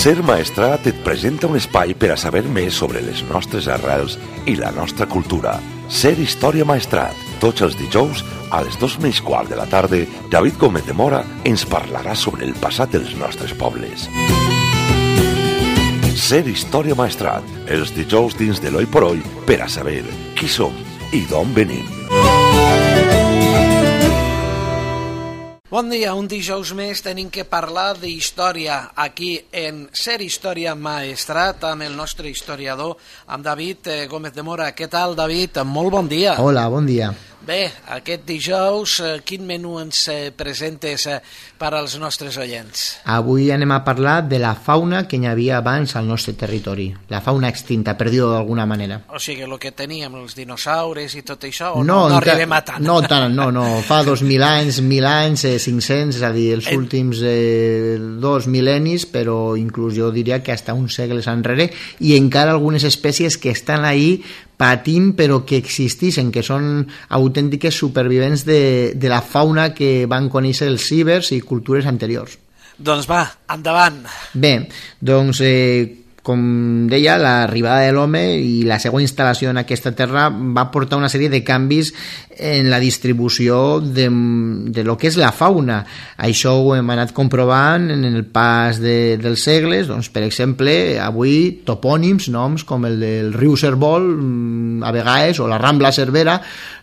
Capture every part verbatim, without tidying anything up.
Ser Maestrat et presenta un espai per a saber més sobre les nostres arrels i la nostra cultura. Ser Història Maestrat. Tots els dijous, a les dos menys quart de la tarda, David Gómez de Mora ens parlarà sobre el passat dels nostres pobles. Ser Història Maestrat. Els dijous dins de l'Oi por Oi per a saber qui som i d'on venim. Bon dia, un dijous més tenim que parlar d'història aquí en Ser Història Maestrat amb el nostre historiador, amb David Gómez de Mora. Què tal, David? Molt bon dia. Hola, bon dia. Bé, aquest dijous, quin menú ens presentes per als nostres oients? Avui anem a parlar de la fauna que hi havia abans al nostre territori, la fauna extinta, per dir-ho d'alguna manera. O sigui, el que teníem, els dinosaures i tot això, o no, no, no arribem a tant? No tant, no, no, fa dos mil anys, mil anys, eh, cinc-cents, és a dir, els en... últims eh, dos mil·lennis, però inclús jo diria que hasta uns segles enrere, i encara algunes espècies que estan ahí patint però que existeixen, que són autèntiques supervivents de, de la fauna que van conèixer els cibers i cultures anteriors. Doncs va, endavant. Bé, doncs eh, com deia, l'arribada de l'home i la seva instal·lació en aquesta terra va portar una sèrie de canvis en la distribució de, de lo que és la fauna. Això ho hem anat comprovant en el pas de, dels segles. Doncs, per exemple, avui topònims, noms com el del riu Cérvol, a vegades, o la Rambla Cervera,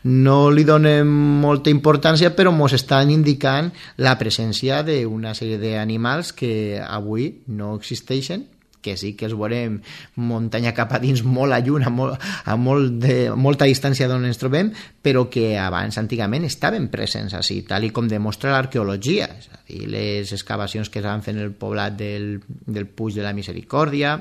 no li donem molta importància, però ens estan indicant la presència d'una sèrie d'animals que avui no existeixen, que sí que els veurem muntanya cap a dins, molt a lluny, a, molt, a molt de, molta distància d'on ens trobem, però que abans, antigament, estaven presents així, tal i com demostra l'arqueologia, és a dir, les excavacions que es van fer en el poblat del, del Puig de la Misericòrdia,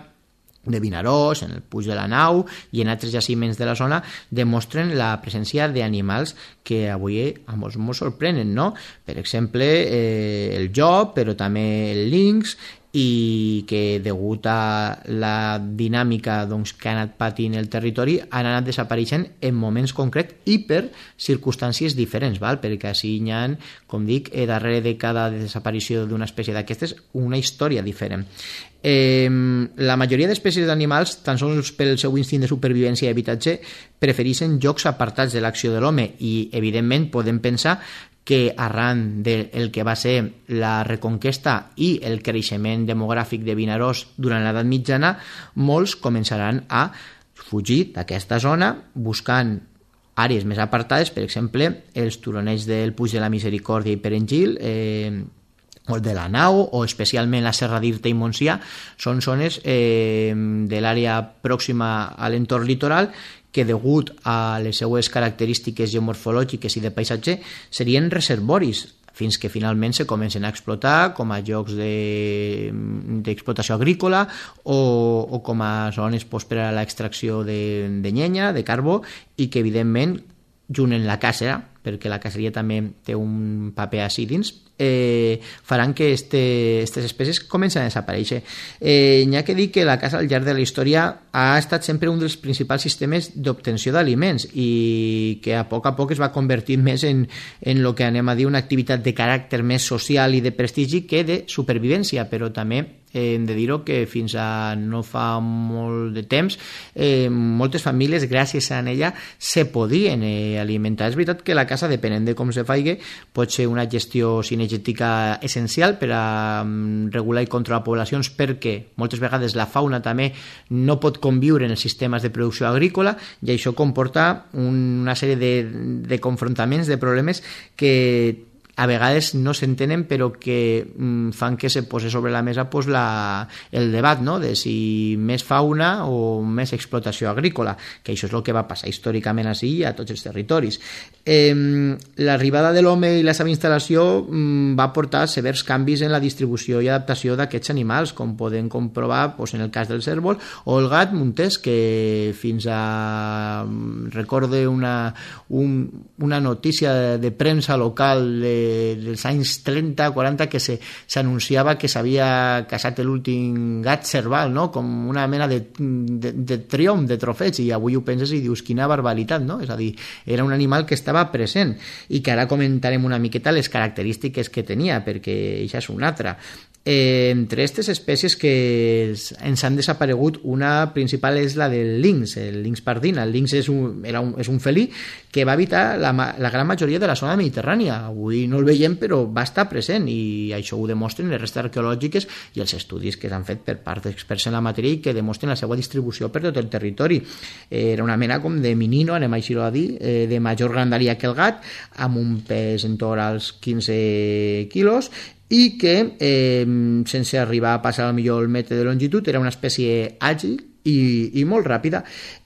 de Vinaròs, en el Puig de la Nau i en altres jaciments de la zona, demostren la presència d'animals que avui a molts ens sorprenen, no? Per exemple, eh, el llop, però també el linx, i que degut a la dinàmica doncs, que ha anat patint el territori han anat desapareixent en moments concrets i per circumstàncies diferents, val? Perquè així hi ha, com dic, darrere de cada desaparició d'una espècie d'aquestes una història diferent. Eh, la majoria d'espècies d'animals, tan sols pel seu instint de supervivència i habitatge, prefereixen llocs apartats de l'acció de l'home i, evidentment, podem pensar que arran del que va ser la reconquesta i el creixement demogràfic de Vinaròs durant l'edat mitjana, molts començaran a fugir d'aquesta zona buscant àrees més apartades, per exemple, els turonets del Puig de la Misericòrdia i Perengil, eh, o el de la Nau, o especialment la Serra d'Irta i Montsià, són zones eh, de l'àrea pròxima a l'entorn litoral que degut a les seues característiques geomorfològiques i de paisatge serien reservoris fins que finalment se comencen a explotar com a llocs d'explotació de, agrícola o, o com a zones pues, per a l'extracció de, de llenya, de carbó, i que evidentment junt en la caça, perquè la caceria també té un paper així dins, eh, faran que aquestes este, espècies comencen a desaparèixer. Eh, n'hi ha que dir que la caça al llarg de la història ha estat sempre un dels principals sistemes d'obtenció d'aliments i que a poc a poc es va convertir més en, en el que anem a dir una activitat de caràcter més social i de prestigi que de supervivència, però també eh, hem de dir-ho que fins a no fa molt de temps eh, moltes famílies gràcies a ella se podien eh, alimentar. És veritat que la caça, depenent de com se faci, pot ser una gestió cinegètica essencial per a um, regular i controlar poblacions, perquè moltes vegades la fauna també no pot conviure en els sistemes de producció agrícola i això comporta un, una sèrie de, de confrontaments, de problemes que a vegades no s'entenen però que mm, fan que se posi sobre la mesa pues, la, el debat, no?, de si més fauna o més explotació agrícola, que això és el que va passar històricament així a tots els territoris. Eh, l'arribada de l'home i la seva instal·lació mm, va portar severs canvis en la distribució i adaptació d'aquests animals, com podem comprovar pues, en el cas del cérvol o el gat montés, que fins a recorde una, un, una notícia de, de premsa local de dels anys trenta quaranta que s'anunciava que s'havia casat l'últim gat cerval, no? Com una mena de, de, de triomf, de trofeig, i avui ho penses i dius quina barbaritat, no? És a dir, era un animal que estava present i que ara comentarem una miqueta les característiques que tenia, perquè això és una altra. Eh, entre aquestes espècies que ens han desaparegut, una principal és la del lynx, el lynx pardina. El lynx és un, era un, és un felí que va habitar la, la gran majoria de la zona mediterrània. Avui no el veiem, però va estar present, i això ho demostren les restes arqueològiques i els estudis que s'han fet per part d'experts en la matèria i que demostren la seva distribució per tot el territori. Eh, era una mena com de menino, anem així a dir, eh, de major grandària que el gat, amb un pes en torn als quinze quilos, i que, eh, sense arribar a passar al millor el metre de longitud, era una espècie àgil i, i molt ràpida.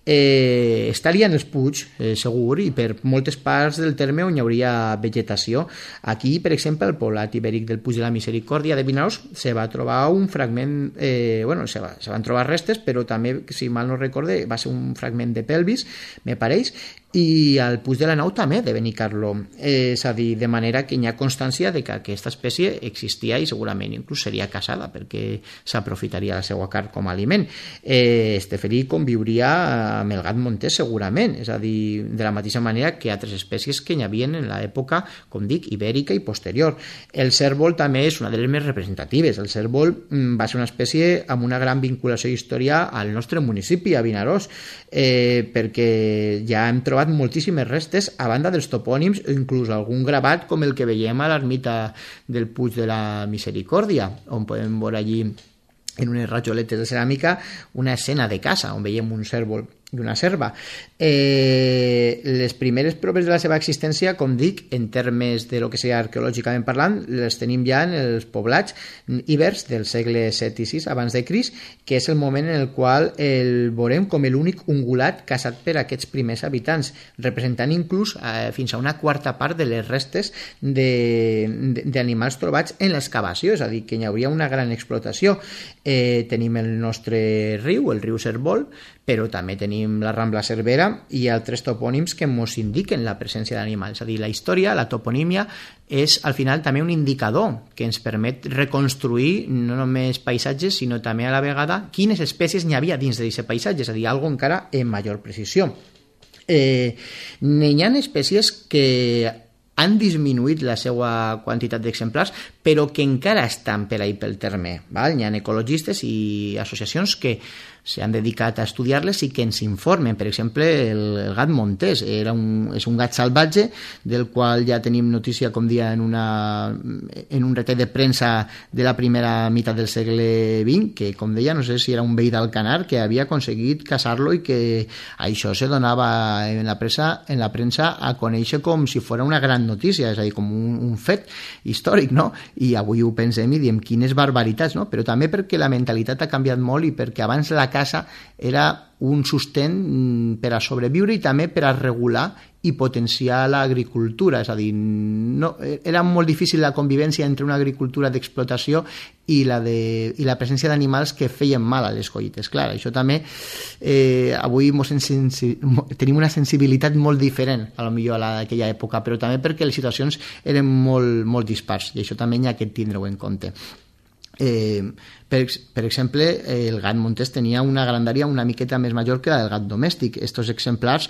Eh, estaria en els puigs, eh, segur, i per moltes parts del terme on hi hauria vegetació. Aquí, per exemple, al poblat ibèric del Puig de la Misericòrdia de Vinaròs se va trobar un fragment, eh, bueno, se, va, se van trobar restes, però també, si mal no recorde, va ser un fragment de pelvis, me pareix, i al Puig de la Nau també, de Benicarló. Eh, és a dir, de manera que hi ha constància de que aquesta espècie existia i segurament inclús seria caçada perquè s'aprofitaria la seva carn com a aliment. Eh, este felí conviuria amb el gat montés segurament, és a dir, de la mateixa manera que altres espècies que hi havia en l'època, com dic, ibèrica i posterior. El cérvol també és una de les més representatives. El cérvol va ser una espècie amb una gran vinculació i història al nostre municipi, a Vinaròs, eh, perquè ja hem trobat moltíssimes restes, a banda dels topònims, o inclús algun gravat com el que veiem a l'ermita del Puig de la Misericòrdia, on podem veure allí en unes rajoletes de ceràmica una escena de caça, on veiem un cérvol i una serva. Eh, les primeres proves de la seva existència, com dic, en termes de lo que sigui arqueològicament parlant, les tenim ja en els poblats ibers del segle set i sis abans de Crist, que és el moment en el qual el veurem com l'únic ungulat caçat per aquests primers habitants, representant inclús eh, fins a una quarta part de les restes d'animals trobats en l'excavació, és a dir, que hi hauria una gran explotació. Eh, tenim el nostre riu, el riu Cérvol, però també tenim la Rambla Cervera i altres topònims que ens indiquen la presència d'animals. És a dir, la història, la toponímia, és al final també un indicador que ens permet reconstruir no només paisatges, sinó també a la vegada quines espècies n'hi havia dins d'aquest paisatge, és a dir, algo encara en major precisió. Eh, n'hi ha espècies que han disminuït la seva quantitat d'exemplars, però que encara estan per ahí pel terme. Val? Hi ha ecologistes i associacions que s'han dedicat a estudiar-les i que ens informen. Per exemple, el, el gat montés era un, és un gat salvatge del qual ja tenim notícia, com dia, en, una, en un retall de premsa de la primera meitat del segle vint, que, com deia, no sé si era un veí d'Alcanar que havia aconseguit caçar-lo i que això se donava en la premsa, en la premsa a conèixer com si fos una gran notícia, és a dir, com un, un fet històric, no? I avui ho pensem i diem quines barbaritats, no? Però també perquè la mentalitat ha canviat molt i perquè abans la casa era un sostén per a sobreviure i també per a regular i potenciar l'agricultura, és a dir, no, era molt difícil la convivència entre una agricultura d'explotació i la, de, i la presència d'animals que feien mal a les collites. Clar, això també eh, avui mos sensi, tenim una sensibilitat molt diferent a lo millor a aquella època, però també perquè les situacions eren molt, molt dispars i això també hi ha que tindre-ho en compte. Eh, per, per exemple, el gat montés tenia una grandària una miqueta més major que la del gat domèstic. Estos exemplars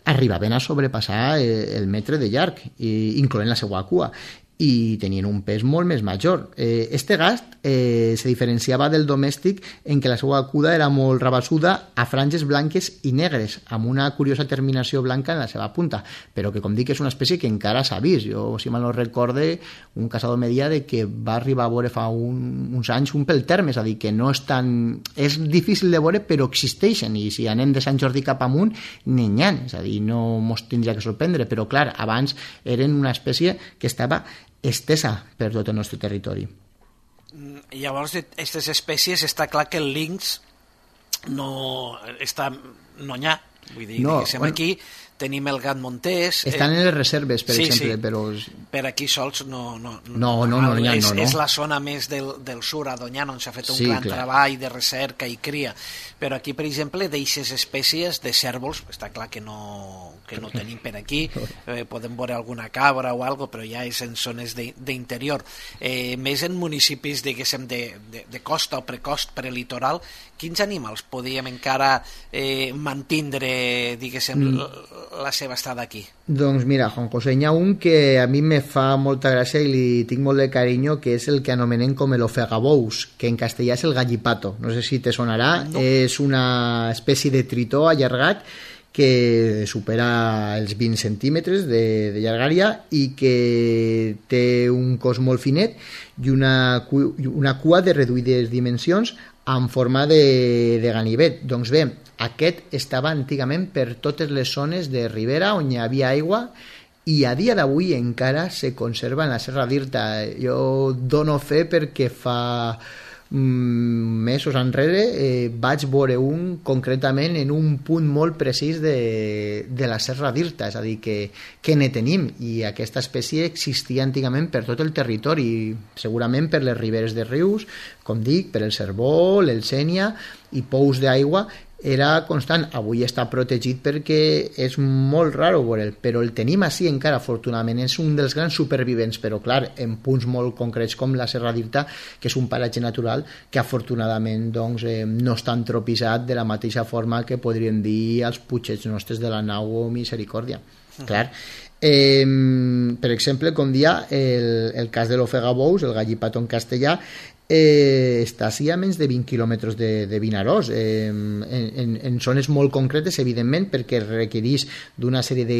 arribaven a sobrepassar el metre de llarg, incloent la seva cua, i tenien un pes molt més major. Eh, este gat eh, se diferenciava del domèstic en què la seva cua era molt rabassuda a franges blanques i negres, amb una curiosa terminació blanca en la seva punta, però que, com dic, és una espècie que encara s'ha vist. Jo, si mal no recorde, un caçador me deia de que va arribar a veure fa un, uns anys un pel terme, és a dir, que no és tan... és difícil de veure, però existeixen, i si anem de Sant Jordi cap amunt, n'hi ha, és a dir, no mos tindria que sorprendre, però clar, abans eren una espècie que estava estesa per tot el nostre territori. Llavors, aquestes espècies està clar que el lynx no està no n'hi ha. Vull dir, no, diguéssim, bueno, aquí tenim el gat montés. Estan eh... en les reserves, per sí, exemple, sí. però... Per aquí sols no... No, no, no, no, no, és, no, no. és la zona més del, del sur, a Doñana, on s'ha fet un sí, gran clar. treball de recerca i cria. Però aquí, per exemple, d'eixes espècies de cérvols, està clar que no, que no tenim per aquí. Eh, podem veure alguna cabra o algo, però ja és en zones d'interior. Eh, més en municipis, diguéssim, de, de, de costa o precost, prelitoral, quins animals podíem encara eh, mantindre, diguéssim, mm. la seva estada aquí? Doncs mira, Juan José, hi ha un que a mi me fa molta gràcia i li tinc molt de carinyo, que és el que anomenem com el ofegabous, que en castellà és el gallipato. No sé si te sonarà. No. És una espècie de tritó allargat que supera els vint centímetres de, de llargària i que té un cos molt finet i una, una cua de reduïdes dimensions en forma de, de ganivet. Doncs bé, aquest estava antigament per totes les zones de ribera on hi havia aigua i a dia d'avui encara se conserva en la Serra d'Irta. Jo dono fe perquè fa mesos enrere eh, vaig veure un concretament en un punt molt precís de, de la Serra d'Irta, és a dir, que, que ne tenim, i aquesta espècie existia antigament per tot el territori, segurament per les riberes de rius, com dic, per el Cérvol, el Sénia i pous d'aigua. Era constant. Avui està protegit perquè és molt raro veure'l, però el tenim així encara, afortunadament. És un dels grans supervivents, però clar, en punts molt concrets com la Serra d'Irta, que és un paratge natural que afortunadament doncs, eh, no està antropitzat de la mateixa forma que podríem dir als puigets nostres de la Nau o Misericòrdia. Uh-huh. Clar. Eh, per exemple, com dia, el, el cas de l'ofegabous, el gallipato en castellà, Eh, està així a menys de vint quilòmetres de, de Vinaròs, eh, en, en, en zones molt concretes, evidentment, perquè requereix d'una sèrie de,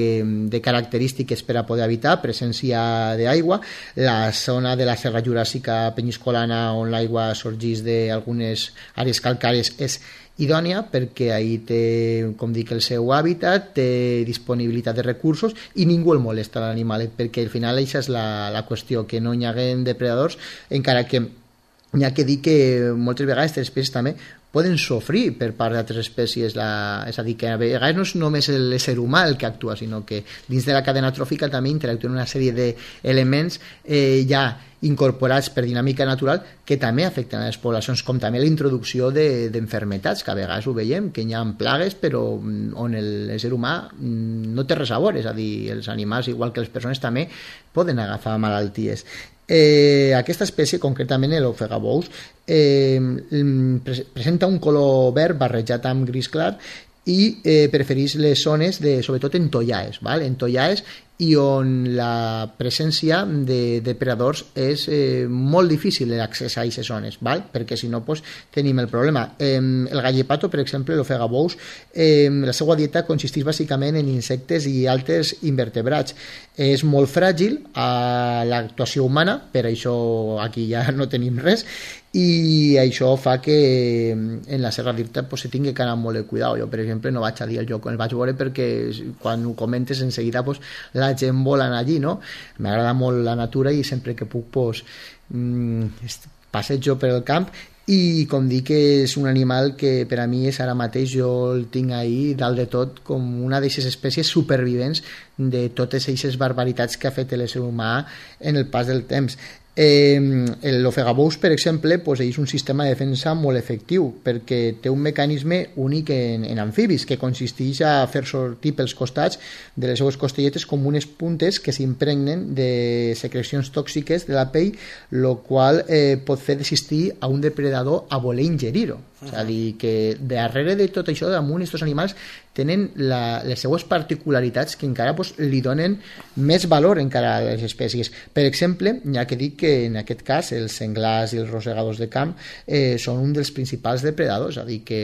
de característiques per a poder habitar, presència d'aigua. La zona de la Serra Juràssica Penyiscolana, on l'aigua sorgeix d'algunes àrees calcàries, és idònia perquè ahí té, com dic, el seu hàbitat, té disponibilitat de recursos i ningú el molesta l'animalet, perquè al final això és la, la qüestió, que no hi haguem depredadors, encara que hi ha que dir que moltes vegades aquestes espècies també poden sofrir per part d'altres espècies, la, és a dir, que a vegades no és només l'ésser humà el que actua, sinó que dins de la cadena tròfica també interactuen una sèrie d'elements eh, ja incorporats per dinàmica natural que també afecten a les poblacions, com també la introducció d'enfermetats, de, que a vegades ho veiem, que hi ha plagues però on l'ésser humà no té res a veure, és a dir, els animals, igual que les persones, també poden agafar malalties. Eh, aquesta espècie, concretament l'ofegabous, eh, presenta un color verd barrejat amb gris clar i eh, prefereix les zones de, sobretot en tollaes, val? En tollaes, i on la presència de depredadors és eh, molt difícil l'accés a aquestes zones, val? Perquè si no pues, tenim el problema. Eh, el gallipato, per exemple, l'ofegabous, eh, la seva dieta consisteix bàsicament en insectes i altres invertebrats. És molt fràgil a l'actuació humana, per això aquí ja no tenim res, i això fa que en la Serra d'Irta pues, se tingui que anar molt de cuidado. Jo, per exemple, no vaig a dir el lloc on el vaig veure perquè quan ho comentes en seguida pues, la gent vol anar allí, no? M'agrada molt la natura i sempre que puc pues, mmm, passejo per el camp i com dic que és un animal que per a mi és ara mateix, jo el tinc ahí dalt de tot com una d'aquestes espècies supervivents de totes aquestes barbaritats que ha fet l'ésser humà en el pas del temps. Eh, l'ofegabous, per exemple, pues, és un sistema de defensa molt efectiu perquè té un mecanisme únic en, en amfibis que consisteix a fer sortir pels costats de les seues costelletes com unes puntes que s'impregnen de secrecions tòxiques de la pell, el qual eh, pot fer desistir a un depredador a voler ingerir-ho. És a dir, que darrere de tot això, damunt, aquests animals tenen la, les seues particularitats que encara pues, li donen més valor encara a les espècies. Per exemple, hi ha que dir que en aquest cas els senglars i els rosegadors de camp eh, són un dels principals depredadors, és a dir, que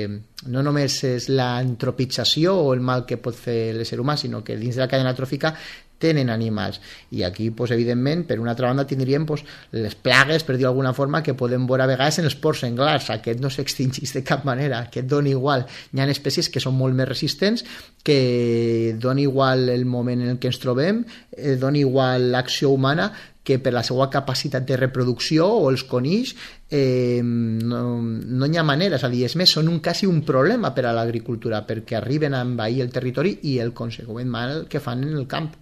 no només és l'antropització o el mal que pot fer l'ésser humà, sinó que dins de la cadena tròfica tenen animals. I aquí, pues, evidentment, per una altra banda tindríem pues, les plagues, per dir d'alguna forma, que podem veure a vegades en els porcs senglars. Aquest no s'extingeix de cap manera, aquest dona igual. Hi ha espècies que són molt més resistents, que dona igual el moment en què ens trobem, eh, dona igual l'acció humana, que per la seva capacitat de reproducció o els conills eh, no, no hi ha manera, és a dir, és més, són un, quasi un problema per a l'agricultura perquè arriben a envair el territori i el conseqüent mal que fan en el camp.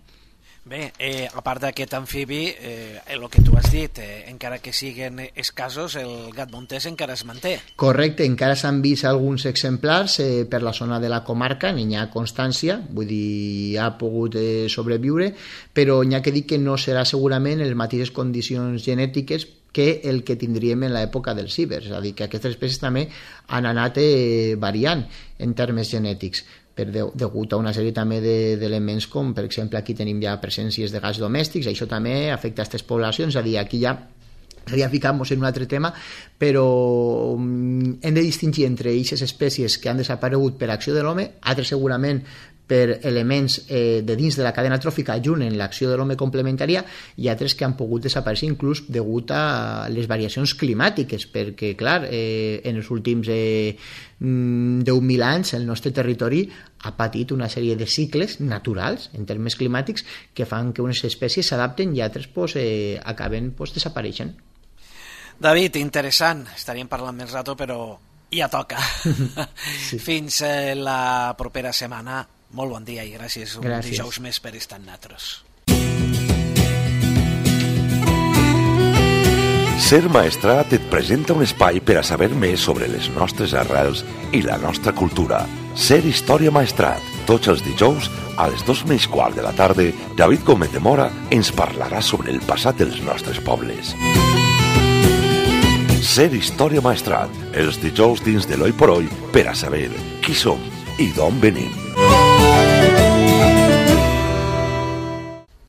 Bé, eh, a part d'aquest amfibi, eh, el que tu has dit, eh, encara que siguin escassos, el gat montés encara es manté. Correcte, encara s'han vist alguns exemplars eh, per la zona de la comarca, n'hi ha constància, vull dir, ha pogut eh, sobreviure, però n'hi ha que dir que no serà segurament en les mateixes condicions genètiques que el que tindríem en l'època dels cibers, és a dir, que aquestes espècies també han anat eh, variant en termes genètics. per de, degut a una sèrie també d'elements de, com, per exemple, aquí tenim ja presències de gas domèstics, això també afecta a aquestes poblacions, és a dir, aquí ja seria ficar-nos en un altre tema, però hem de distingir entre aquestes espècies que han desaparegut per acció de l'home, altres segurament per elements eh, de dins de la cadena tròfica junt en l'acció de l'home complementària, i altres que han pogut desaparèixer inclús degut a les variacions climàtiques, perquè, clar, eh, en els últims eh, deu mil anys el nostre territori ha patit una sèrie de cicles naturals en termes climàtics que fan que unes espècies s'adapten i altres pues, eh, acaben pues, desapareixent. David, interessant, estaríem parlant més rato, però ja toca. Sí. Fins eh, la propera setmana. Molt bon dia i gràcies, un gràcies. Dijous més per estar amb nosaltres. Ser Maestrat et presenta un espai per a saber més sobre les nostres arrels i la nostra cultura. Ser Història Maestrat. Tots els dijous, a les dos menys quart de la tarda, David Gómez de Mora ens parlarà sobre el passat dels nostres pobles. Ser Història Maestrat. Els dijous dins de l'Oi por Hoy per a saber qui som i d'on venim.